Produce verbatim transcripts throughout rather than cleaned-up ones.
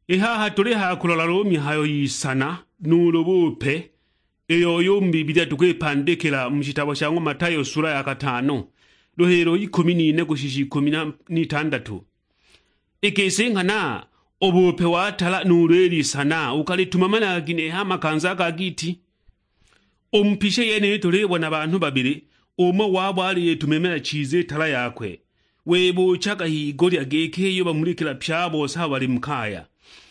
I haha tuli ha kulola lu mihayo y'isana nuulu bupe, iyo yu mu Bibilia tukwipandikila mu shitabo sha ng'wa Matayo sula ya katano, luhilo ikumi n'ine kushisha ikumi n'itandatu. I gisi nghana, u bupe wa tala nuulu i lisana ukalitumamila ginehe ha makanza ga giti? U mu pisha yeniyi tulibona banhu babili, umo wabo aliyitumamila chiza i tala yakwe, wibuuchaga h'igulya giki iyo bamulikila pye a bose abo bali mu kaya.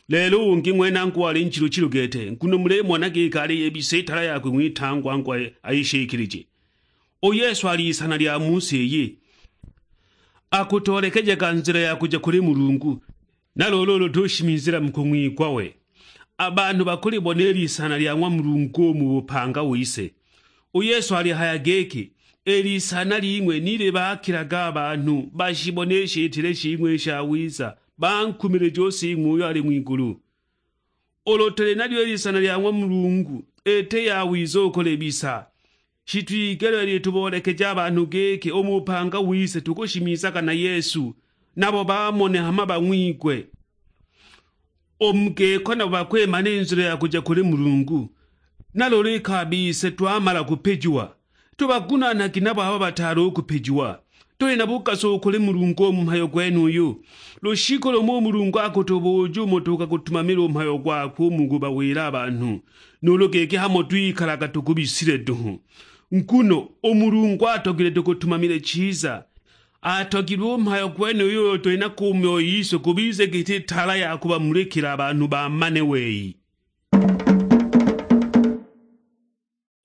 Lelo u ungi ng'wene angu wali nchilu-chilu gete, nguno mulimona giki aliyibisa i tala yakwe ng'witangwa angu ayi-, ayishikilije. U Yesu ali isana lya mu si iyi, akutoolekejaga nzila ya kuja kuli Mulungu, na luulu ulu tushimizila mu kung'wigwa we, a banhu bakulibona i lisana lya ng'wa Mulungu u mu bupanga wise. U Yesu alihaya giki, "I lisana ling'we ni libakilaga a banhu bashibone i shitile shing'we i shawiza, bankumilije u Sing'we uyo ali ng'wigulu." Ulu tuli nalyo i lisana lya ng'wa Mulungu, iti yawiza u kulibisa. Shitwigelile lituboolekeje a banhu giki u mu bupanga wise tukushimizaga na Yesu, nabo bamone hama bang'wigwe. U mu giko nabo bakwimana i nzila ya kuja kuli Mulungu. Na luulu iki a bise twamala kupijiwa, tubagunaanagi nabo abo bataali u kupijiwa. Tuli na bugaso u kuli Mulungu u mu mhayo gwenuyu. Lushiku lumo u Mulungu akutubuuja umo tukagutumamila u mhayo gwakwe u mu kubawila a banhu, nuulu giki hamo twikalaga tugubisile duhu. Nguno u Mulungu atogilwe tugutumamile chiza. Atogilwe u mhayo gwenuyu uyo tuli nago u myoyo yise gubize giti tala ya kubamulikila a banhu bamane wei.